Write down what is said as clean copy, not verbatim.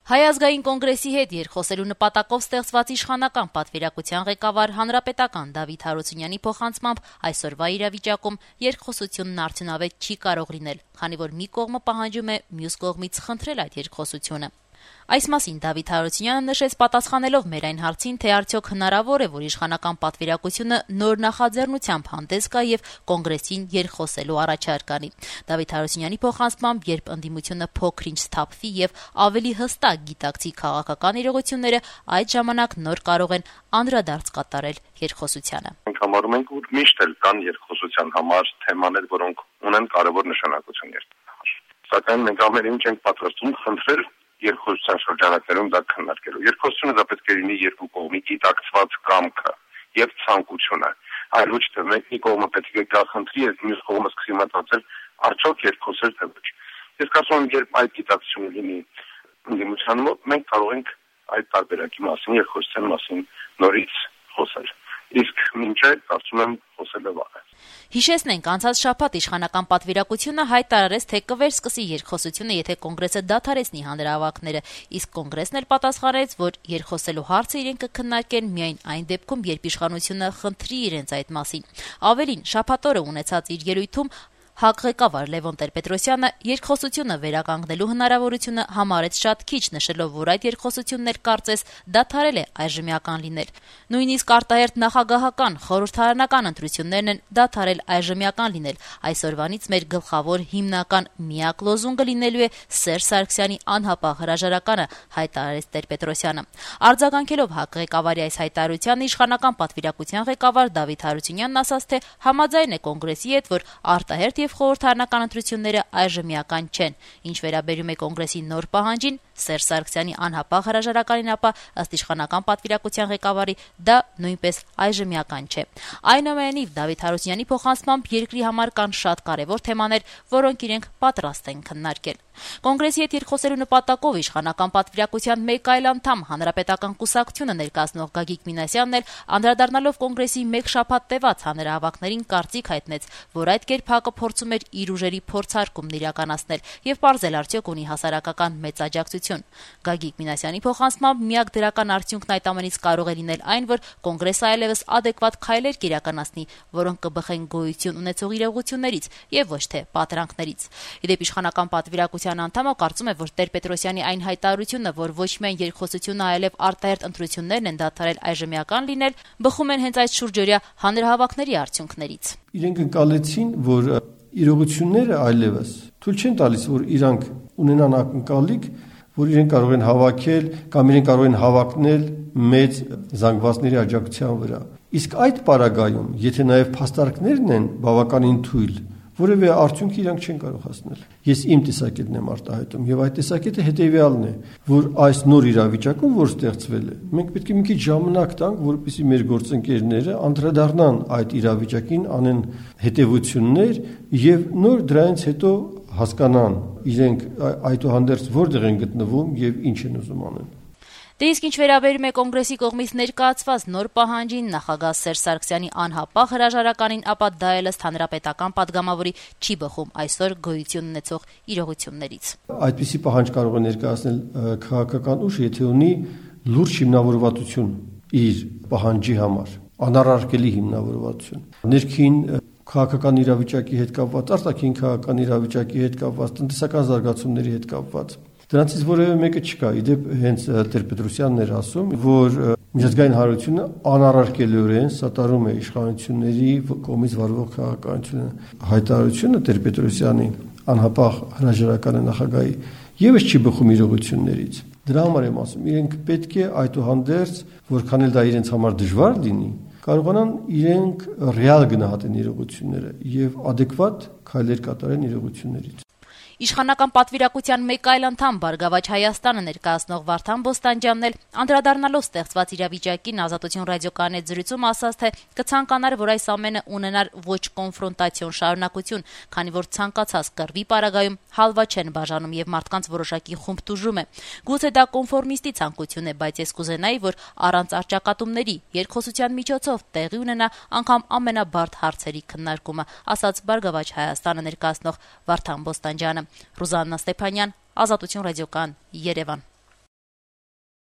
Հայ ազգային կոնգրեսի հետ երկխոսելու նպատակով ստեղծված իշխանական պատվիրակության ղեկավար հանրապետական Դավիթ Հարությունյանի փոխանցմամբ այսօրվա իրավիճակում երկխոսությունն արդյունավետ չի կարող լինել, քանի որ մի կողմը պահանջում է մյուս կողմից խնդրել այդ երկխոսությունը։ Այս մասին Դավիթ Հարությունյանը նշեց պատասխանելով մեր այն հարցին, թե արդյոք հնարավոր է, որ իշխանական պատվիրակությունը նոր նախաձեռնությամբ հանդես գա եւ կոնգրեսին երկխոսելու առաջարկ անի։ Դավիթ Հարությունյանի փոխանցմամբ, երբ ընդդիմությունը փոքր-ինչ սթափվի եւ ավելի հստակ գիտակցի քաղաքական իրողությունները, այդ ժամանակ նոր կարող են անդրադարձ կատարել երկխոսությանը։ Մենք համարում ենք, որ միշտ էլ կան երկխոսության համար թեմաներ, որոնք ունեն կարևոր նշանակություն երկրի։ Սակայն մենք ամեն ինչ ենք պատրաստվում խնդրել երկխոսության շրջանակներում դա քննարկելու։ Երկխոսությունը դա պետք է լինի երկու կողմի գիտակցված կամքը եւ ցանկությունը, այլ ոչ թե մեկի կողմը պետք է գա խնդրի, եւ մյուս կողմը սկսի մտածել արդյոք երկխոսել թե ոչ։ Ես կարծում եմ, երբ այդ գիտակցությունը լինի ընդդիմության մոտ, մենք կարող ենք այդ տարբերակի մասին, երկխոսության մասին նորից խոսել։ Իսկ մինչ այդ կարծում եմ խոսելը վաղ է։ Հիշեցնենք, անցած շաբաթ իշխանական պատվիրակությունը հայտարարեց, թե կվերսկսի երկխոսությունը, եթե կոնգրեսը դադարեցնի հանրահավաքները, իսկ կոնգրեսն էլ պատասխանեց, որ երկխոսելու հարցը իրենք կքննարկեն միայն այն դեպքում, երբ իշխանությունը խնդրի իրենց այդ մասին։ Ավելին, շաբաթ օրը ունեցած իր ելույթում ՀԱԿ ղեկավար Լևոն Տեր-Պետրոսյանը երկխոսությունը վերականգնելու հնարավորությունը համարեց շատ քիչ, նշելով, որ այդ երկխոսությունն էլ կարծես դադարել է այժմյական լինել։ Նույնիսկ արտահերթ նախագահական, խորհրդարանական ընտրություններն են դադարել այժմյական լինել։ Այսօրվանից մեր գլխավոր հիմնական միակ լոզունգը լինելու է Սերժ Սարգսյանի անհապաղ հրաժարականը, հայտարարեց Տեր-Պետրոսյանը։ Արձագանքելով ՀԱԿ ղեկավարի այս հայտարարությանը, իշխանական պատվիրակության ղեկավար Դավիթ Հարությունյանն ասաց, թե համաձայն է կոնգրեսի հետ, որ արտահերթ խորհրդարանական ընտրությունները այժմյական չեն։ Ինչ վերաբերում է կոնգրեսի նոր պահանջին, Սերժ Սարգսյանի անհապաղ հրաժարականին, ապա ըստ իշխանական պատվիրակության ղեկավարի դա նույնպես այժմյական չէ։ Այնուամենայնիվ, Դավիթ Հարությունյանի փոխանցմամբ երկրի համար կան շատ կարևոր թեմաներ, որոնք իրենք պատրաստ են քննարկել։ Կոնգրեսի հետ երկխոսելու նպատակով իշխանական պատվիրակության մեկ այլ անդամ, Հանրապետական կուսակցությունը ներկայացնող Գագիկ Մինասյանն էլ անդրադառնալով կոնգրեսի մեկ շաբաթ տևած հանրահավաքներին կարծիք հայտնեց, որ այդ կերպ ՀԱԿ-ը փորձում էր իր ուժերի փորձարկումն իրականացնել եւ պարզել արդյոք ունի հասարակական մեծ աջակցություն։ Գագիկ Մինասյանի փոխանցմամբ միակ դրական արդյունքն այդ ամենից կարող է լինել այն, որ կոնգրեսը այլևս ադեկվատ քայլեր կիրականացնի, որոնք կբխեն գոյություն ունեցող իրողություններից եւ ոչ թե պատրանքներից։ Իդեպ իշխանական պատվիրակության անդամը կարծում է, որ Տեր-Պետրոսյանի այն հայտարարությունը, որ ոչ միայն երկխոսությունը, այլև արտահերթ ընտրություններն են դադարել այժմյական լինել, բխում են հենց այդ շուրջօրյա հանրահավաքների արդյունքներից։ Իրենք ընկալեցին, որ իրողությունները այլևս թույլ չեն տալիս, որ իրանք ունենան ակնկալիք, որ իրենք կարող են հավաքել կամ իրենք կարող են հավակնել մեծ զանգվածների աջակցության վրա։ Իսկ այդ պարագայում, եթե նաև փաստարկներն են բավականին թույլ, որևէ արդյունք իրանք չեն կարող հասնել։ Ես իմ տեսակետն եմ արտահայտում, եւ այդ տեսակետը հետեւյալն է, որ այս նոր իրավիճակում, որ ստեղծվել է, մենք պետք է մի քիչ ժամանակ տանք, որպեսզի մեր գործընկերները անդրադառնան այդ իրավիճակին, անեն հետևություններ եւ նոր դրանից հետո հասկանան իրենք այդուհանդերձ որտեղ են գտնվում եւ ինչ են ուզում անեն։ Դե իսկ ինչ վերաբերում է կոնգրեսի կողմից ներկայացված նոր պահանջին, նախագահ Սերժ Սարգսյանի անհապաղ հրաժարականին, ապա դա էլ ըստ հանրապետական падգամավորի չի բխում այսօր գոյություն ունեցող իրողություններից։ Այդպիսի պահանջ կարող է ներկայացնել քաղաքական ուժ, եթե ունի լուրջ հիմնավորվածություն իր պահանջի համար, անառարկելի հիմնավորվածություն։ Ներքին քաղաքական իրավիճակի հետ կապված, արտաքին քաղաքական իրավիճակի հետ կապված, տնտեսական զարգացումների հետ կապված։ Դրանցից որևէ մեկը չկա։ Իդեպ հենց Տեր-Պետրոսյանն էր ասում, որ միջազգային հանրությունը անառարկելիորեն սատարում է իշխանությունների կողմից վարվող քաղաքականությունը։ Հայտարարությունը Տեր-Պետրոսյանի անհապաղ հրաժարականը նախագահի եւս չի բխում իրողություններից։ Դրա համար եմ ասում, իրենք պետք է այդուհանդերձ, որքան էլ դա իրենց համար դժվար լինի, կարողանան իրենք ռեալ գնահատեն իրողությունները եւ ադեկվատ քայլեր կատարեն իրողություններից։ Իշխանական պատվիրակության մեկ այլ անդամ Բարգավաճ Հայաստանը ներկայացնող Վարդան Բոստանջյանն էլ անդրադառնալով ստեղծված իրավիճակին Ազատություն ռադիոկայանի հետ զրույցում ասաց, թե կցանկանար, որ այս ամենը ունենար ոչ կոնֆրոնտացիոն շարունակություն, քանի որ ցանկացած կռվի պարագայում հալվա չեն բաժանում եւ մարդկանց որոշակի խումբ տուժում է։ Գուցե դա կոնֆորմիստի ցանկություն է, բայց ես կուզենայի, որ առանց արճակատումների երկխոսության միջոցով տեղի ունենա անգամ ամենաբարդ հարցերի քննարկումը, ասաց Բարգավաճ Հայաստանը ներկայացնող Վարդան Բոստանջյանը։ Ռուզաննա Ստեփանյան, Ազատություն ռադիոկայան, Երևան։